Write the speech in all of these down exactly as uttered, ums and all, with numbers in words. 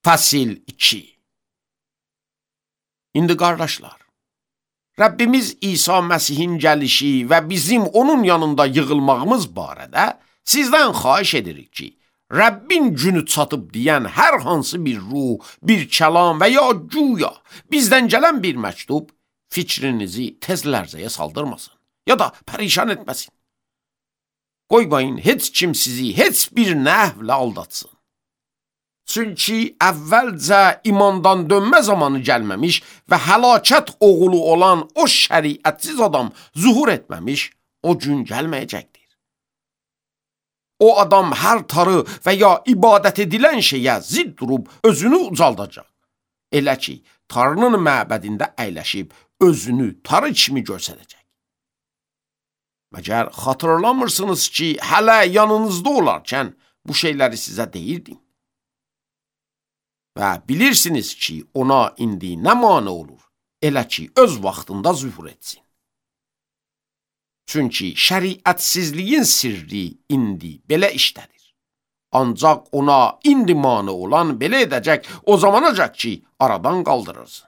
Fəsil iki. İndi qardaşlar, Rəbbimiz İsa Məsihin gəlişi və bizim onun yanında yığılmağımız barədə sizdən xahiş edirik ki, Rəbbin günü çatıb deyən hər hansı bir ruh, bir kəlam və ya güya bizdən gələn bir məktub fikrinizi tez lərzəyə saldırmasın ya da pərişan etməsin. Qoymayın heç kim sizi heç bir nəhvlə aldatsın. Çünki əvvəlcə imandan dönmə zamanı gəlməmiş və həlakət oğulu olan o şəriətsiz adam zuhur etməmiş, o gün gəlməyəcəkdir. O adam hər tarı və ya ibadət edilən şeyə zidd durub özünü ucaldacaq. Elə ki, tarının məbədində əyləşib özünü tarı kimi göstərəcək. Məgər xatırlamırsınız ki, hələ yanınızda olarkən bu şeyləri sizə deyirdim. Və bilirsiniz ki, ona indi nə mane olur, elə ki, öz vaxtında zühur etsin. Çünki şəriətsizliyin sirri indi belə işlədir. Ancaq ona indi mane olan belə edəcək o zamanacaq ki, aradan qaldırırsın.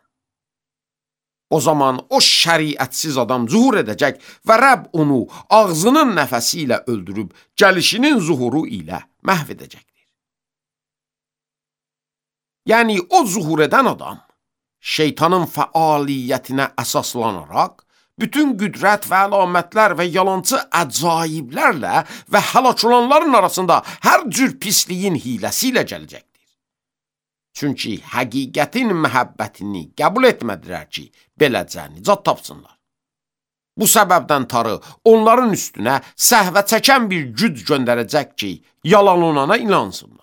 O zaman o şəriətsiz adam zuhur edəcək və Rəbb onu ağzının nəfəsi ilə öldürüb, gəlişinin zuhuru ilə məhv edəcəkdir. Yəni, o zuhur edən adam, şeytanın fəaliyyətinə əsaslanaraq, bütün qüdrət və əlamətlər və yalançı əcaiblərlə və həlak olanların arasında hər cür pisliyin hiləsi ilə gələcəkdir. Çünki həqiqətin məhəbbətini qəbul etmədilər ki, beləcə nicat tapsınlar. Bu səbəbdən tarı onların üstünə səhvə çəkən bir güc göndərəcək ki, yalan olana inansınlar.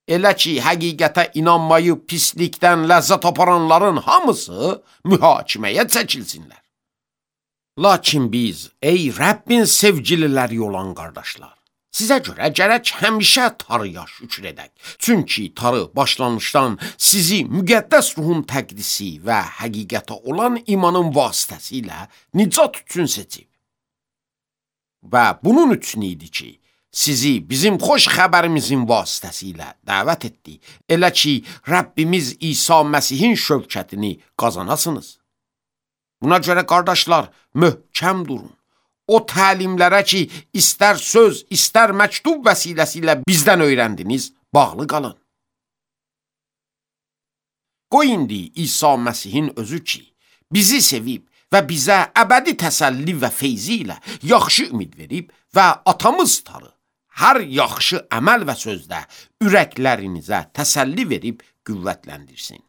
Elə ki, həqiqətə inanmayıb pislikdən ləzzət aparanların hamısı mühakiməyə çəkilsinlər. Lakin biz, ey Rəbbin sevgililəri olan qardaşlar, sizə görə gərək həmişə tarıya şükür edək. Çünki tarı başlanmışdan sizi müqəddəs ruhun təqdisi və həqiqətə olan imanın vasitəsilə nicat üçün seçib. Və bunun üçün idi ki, sizi bizim xoş xəbərimizin vasitəsilə dəvət etdi. Elə ki, Rəbbimiz İsa Məsihin şövkətini qazanasınız. Buna görə qardaşlar, möhkəm durun. O təlimlərə ki, istər söz, istər məktub vəsiləsi bizdən öyrəndiniz, bağlı qalın. Qoy indi İsa Məsihin özü ki, bizi sevib və bizə əbədi təsəlli və feyzi ilə yaxşı ümid verib və atamız tarı, hər yaxşı əməl və sözdə ürəklərinizə təsəlli verib qüvvətləndirsin.